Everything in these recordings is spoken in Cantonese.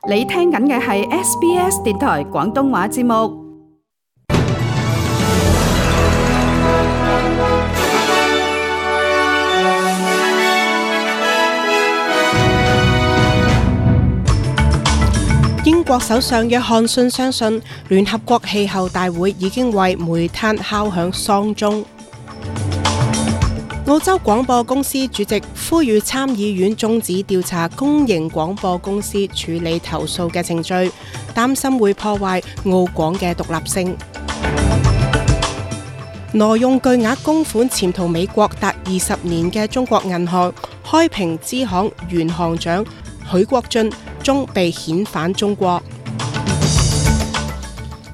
你聽緊嘅係 SBS 電台廣東話節目。英國首相約翰遜相信聯合國氣候大會已經為煤炭敲響喪鐘。澳洲廣播公司主席呼籲參議院終止調查公營廣播公司處理投訴嘅程序，擔心會破壞澳廣嘅獨立性。挪用巨額公款潛逃美國達20年嘅中國銀行開平支行原行長許國俊終被遣返中國。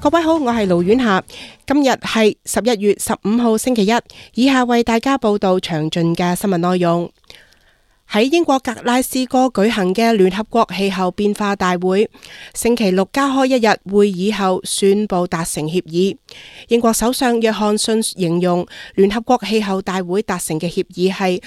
各位好，我係盧婉霞，今日係11月15號星期一，以下為大家報道詳盡嘅新聞內容。喺英國格拉斯哥舉行嘅聯合國氣候變化大會，星期六加開一日會議後宣布達成協議。英國首相約翰遜形容聯合國氣候大會達成嘅協議係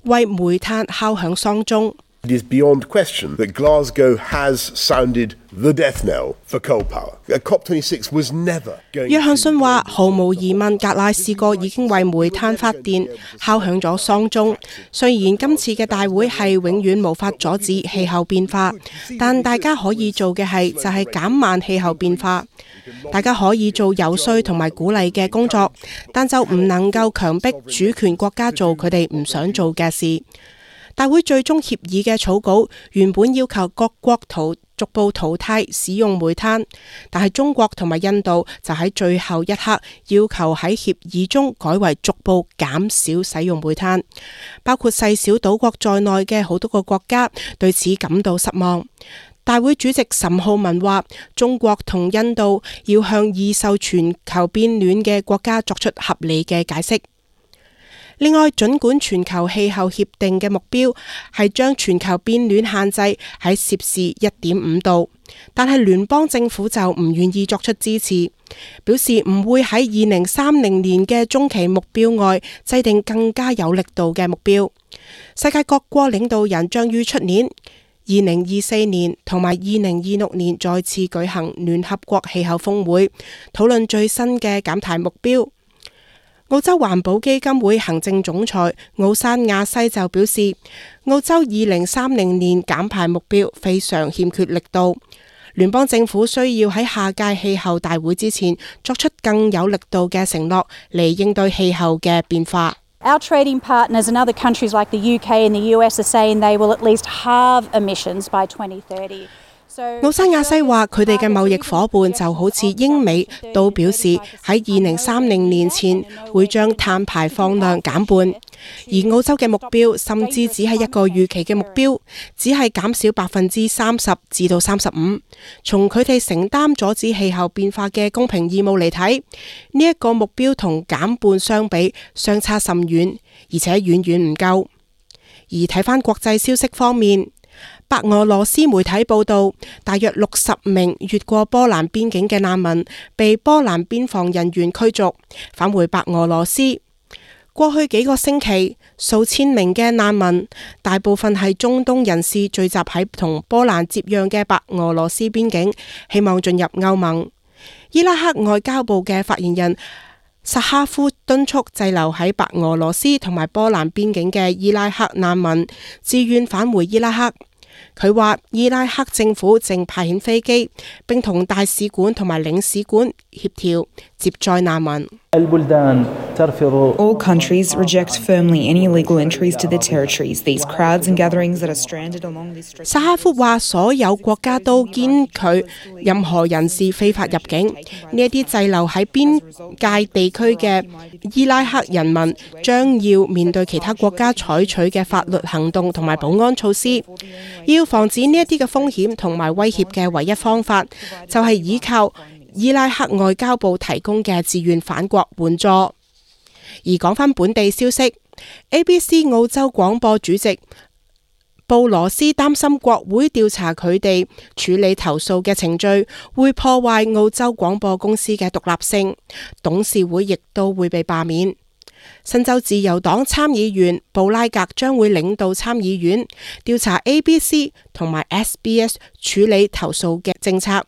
為煤炭敲響喪鐘。It is beyond question that Glasgow has sounded the death knell for coal power. COP26 was never going to... 約翰遜話：毫無疑問，格拉斯哥已經為煤炭發電敲響咗喪鐘。雖然今次嘅大會係永遠無法阻止氣候變化，但大家可以做嘅就係減慢氣候變化。大家可以做游說同埋鼓勵嘅工作，但就唔能夠強迫主權國家做佢哋唔想做嘅事。大會最終協議嘅草稿原本要求各國逐步淘汰使用煤炭，但係中國同埋印度就喺最後一刻要求喺協議中改為逐步減少使用煤炭。包括細小島國在內嘅好多個國家對此感到失望。大會主席岑浩文話：中國同印度要向易受全球變暖嘅國家作出合理嘅解釋。另外，儘管全球氣候協定嘅目標係將全球變暖限制喺攝氏1.5度，但係聯邦政府就唔願意作出支持，表示唔會喺2030年嘅中期目標外制定更加有力度嘅目標。世界各國領導人將於出年2024年同埋2026年再次舉行聯合國氣候峰會，討論最新嘅減排目標。澳洲環保基金會行政總裁奧山亞西就表示，澳洲2030年減排目標非常欠缺力度，聯邦政府需要喺下屆氣候大會之前作出更有力度嘅承諾嚟應對氣候嘅變化。Our trading partners and other countries like the UK and the US are saying they will at least halve emissions by 2030. 奧山亞西話：佢哋嘅貿易夥伴就好似英美，都表示喺2030年前會將碳排放量減半，而澳洲嘅目標甚至只係一個預期嘅目標，只係減少30%至到35%。從佢哋承擔阻止氣候變化嘅公平義務嚟睇，呢一個目標同減半相比相差甚遠，而且遠遠唔夠。而睇返國際消息方面，白俄羅斯媒體報道，大約60名越過波蘭邊境嘅難民被波蘭邊防人員驅逐，返回白俄羅斯。過去幾個星期，數千名嘅難民，大部分係中東人士，聚集喺同波蘭接壤嘅白俄羅斯邊境，希望進入歐盟。伊拉克外交部嘅發言人薩哈夫敦促滯留喺白俄羅斯同埋波蘭邊境嘅伊拉克難民自願返回伊拉克。佢話伊拉克政府正派遣飛機，並同大使館同埋領事館協調接載難民。All countries reject firmly any illegal entries to their territories. These crowds and gatherings that are stranded along these stretches. 薩哈夫話：所有國家都堅拒任何人士非法入境。呢一啲滯留喺邊界地區嘅伊拉克人民將要面對其他國家採取嘅法律行動同埋保安措施。要防止呢一啲嘅風險同埋威脅嘅唯一方法，就係依靠伊拉克外交部提供嘅自願返國援助。而講返本地消息 ，ABC 澳洲廣播主席布羅斯擔心國會調查佢哋處理投訴嘅程序會破壞澳洲廣播公司嘅獨立性，董事會亦都會被罷免。新州自由黨參議員布拉格將會領導參議院調查 ABC 同埋 SBS 處理投訴嘅政策，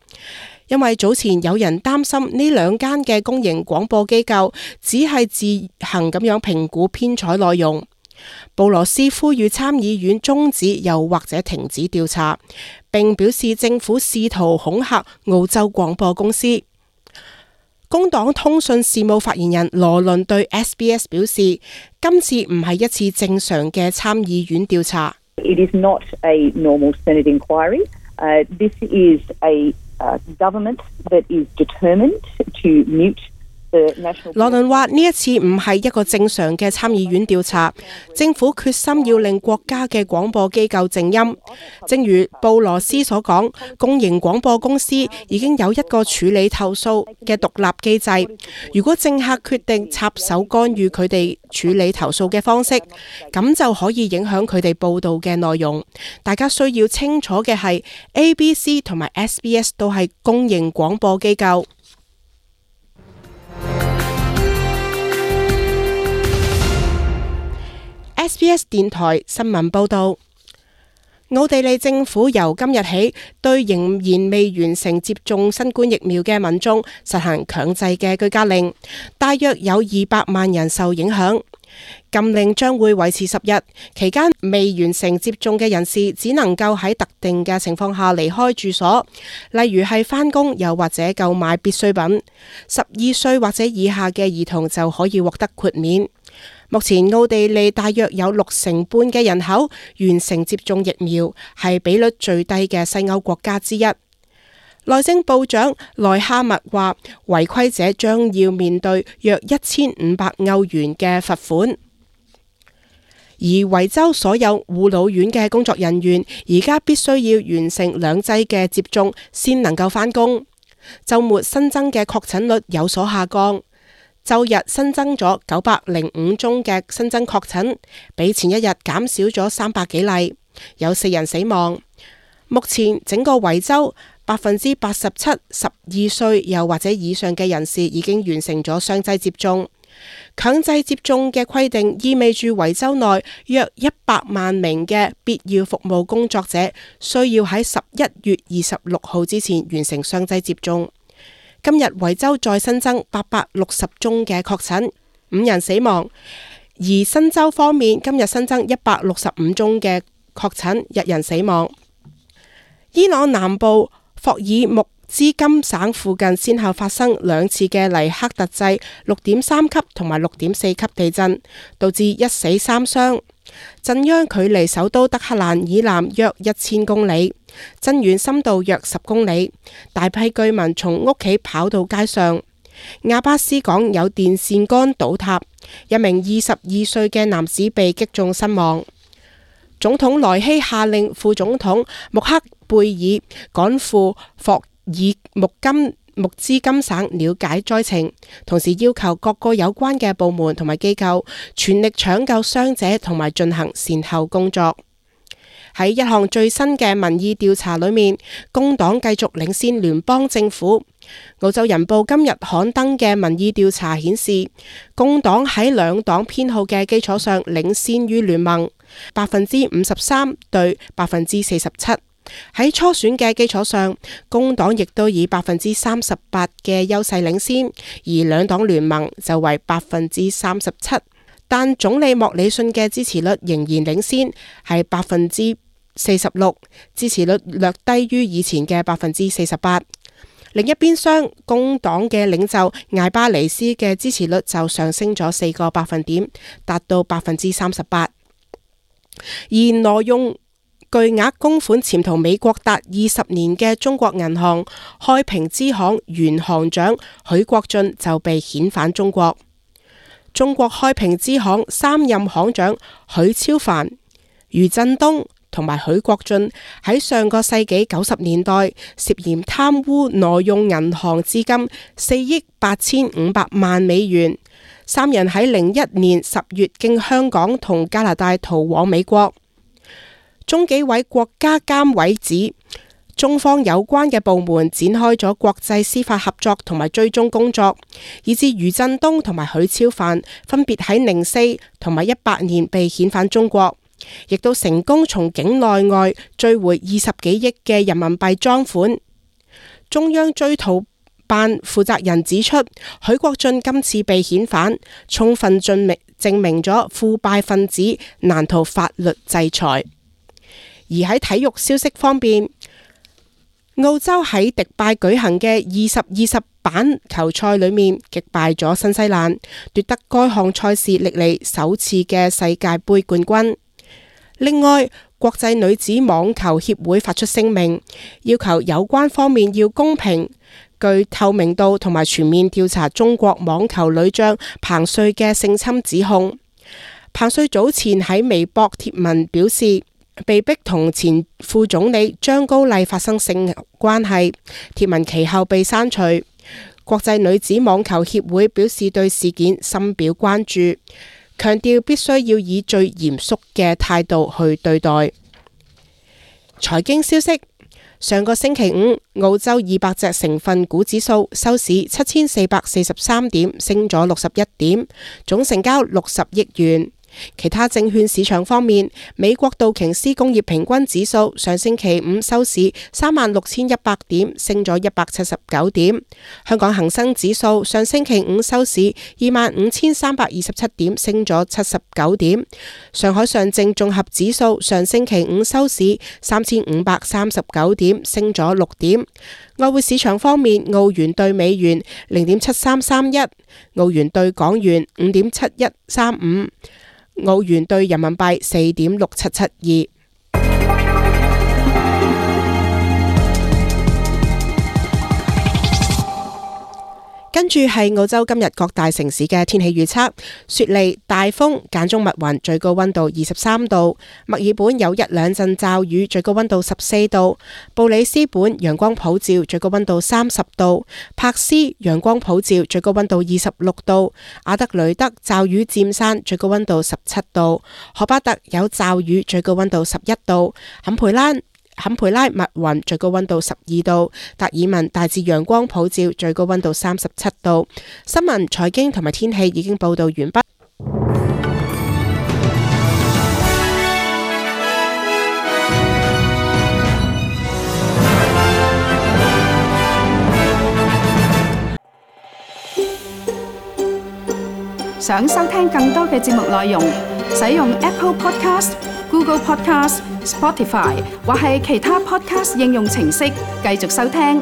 因為早前有人擔心呢兩間嘅公營廣播機構只係自行咁樣評估編採內容。布羅斯呼籲參議院終止又或者停止調查，並表示政府試圖恐嚇澳洲廣播公司。工黨通訊事務發言人羅倫對 SBS 表示，今次唔係一次正常嘅參議院調查。It is not a normal Senate inquiry. This is a government that is determined to mute the national. 羅倫話：呢一次唔係一個正常嘅參議院調查，政府決心要令國家嘅廣播機構靜音。正如布羅斯所講，公營廣播公司已經有一個處理投訴嘅獨立機制。如果政客決定插手干預佢哋處理投訴嘅方式，咁就可以影響佢哋報導嘅內容。大家需要清楚嘅係 ABC 同埋 SBS 都係公營廣播機構。SBS 電台新聞報導，奧地利政府由今日起對仍然未完成接種新冠疫苗嘅民眾實行強制嘅居家令，大約有200萬人受影響。禁令將會維持10日，期間未完成接種嘅人士只能夠喺特定嘅情況下離開住所，例如係返工又或者購買必需品。12歲或者以下嘅兒童就可以獲得豁免。目前奧地利大約有60%半嘅人口完成接種疫苗，係比率最低嘅西歐國家之一。內政部長內哈默話，違規者將要面對約1500歐元嘅罰款。而維州所有護老院嘅工作人員而家必須要完成2劑嘅接種先能夠返工。週末新增嘅確診率有所下降。周日新增咗905宗嘅新增確診，比前一日減少咗300幾例，有4人死亡。目前整個維州87%， 12歲又或者以上嘅人士已經完成咗雙劑接種。強制接種嘅規定意味住維州內約100萬名嘅必要服務工作者需要喺11月26號之前完成雙劑接種。今日維州再新增860宗嘅確診，5人死亡。而新州方面，今日新增165宗嘅確診，1人死亡。伊朗南部霍爾木茲金省附近先後發生2次嘅黎克特制6.3級同埋6.4級地震，導致1死3傷。震央距離首都德黑蘭以南約1000公里，震源深度約10公里。大批居民從屋企跑到街上。亞巴斯港有電線桿倒塌，一名22歲嘅男子被擊中身亡。總統萊希下令副總統穆克貝爾趕赴霍爾木茲金省了解災情，同時要求各個有關嘅部門同埋機構全力搶救傷者同埋進行善後工作。喺一項最新嘅民意調查裏面，工黨繼續領先聯邦政府。澳洲人報今日刊登嘅民意調查顯示，工黨喺2黨偏好嘅基礎上領先於聯盟，53%對47%。喺初選嘅基礎上，工黨亦都以38%嘅優勢領先，而2黨聯盟就為37%。但總理莫里遜嘅支持率仍然領先，係46%，支持率略低於以前嘅48%。另一邊廂，工黨嘅領袖艾巴尼斯嘅支持率就上升咗4個百分點，達到38%。而挪用巨額公款潛逃美國達20年嘅中國銀行開平支行原行長許國俊就被遣返中國。中國開平支行3任行長許超凡、余振東同埋許國俊喺上個世紀90年代涉嫌貪污挪用銀行資金4億8500萬美元。3人喺01年10月經香港同加拿大逃往美國。中紀委國家監委指，中方有關嘅部門展開咗國際司法合作同埋追蹤工作，以致余振東同埋許超範分別喺04同埋18年被遣返中國，亦都成功從境內外追回20幾億嘅人民幣贓款。中央追討辦負責人指出，許國俊今次被遣返，充分證明咗腐敗分子難逃法律制裁。而喺體育消息方面，澳洲喺迪拜舉行嘅2020板球賽裏面擊敗咗新西蘭，奪得該項賽事歷嚟首次嘅世界盃冠軍。另外，國際女子網球協會發出聲明，要求有關方面要公平、具透明度同埋全面調查中國網球女將彭帥嘅性侵指控。彭帥早前喺微博貼文表示，被逼同前副總理張高麗發生性關係，貼文其後被刪除。國際女子網球協會表示對事件深表關注，強調必須要以最嚴肅嘅態度去對待。財經消息，上個星期五，澳洲200隻成分股指數收市7443點，升咗61點，總成交60億元。其他證券市場方面，美國道瓊斯工業平均指數上星期五收市36,100點，升咗179點。香港恒生指數上星期五收市25,327點，升咗79點。上海上證綜合指數上星期五收市3,539點，升咗6點。外匯市場方面，澳元對美元0.7331，澳元對港元5.7135。澳元兌人民幣4.6772。跟住係澳洲今日各大城市嘅天氣預測：雪梨大風間中密雲，最高溫度23度；墨爾本有1兩陣驟雨，最高溫度14度；布里斯本陽光普照，最高溫度30度；柏斯陽光普照，最高溫度26度；阿德雷德驟雨漸散，最高溫度17度；荷巴特有驟雨，最高溫度11度；坎培拉密雲，最高溫度12度；達爾文大致陽光普照，最高溫度37度。新聞、財經同埋天氣已經報道完畢。想收聽更多嘅節目內容，使用 Apple Podcast、Google Podcast、Spotify 或係其他 Podcast 應用程式繼續收聽。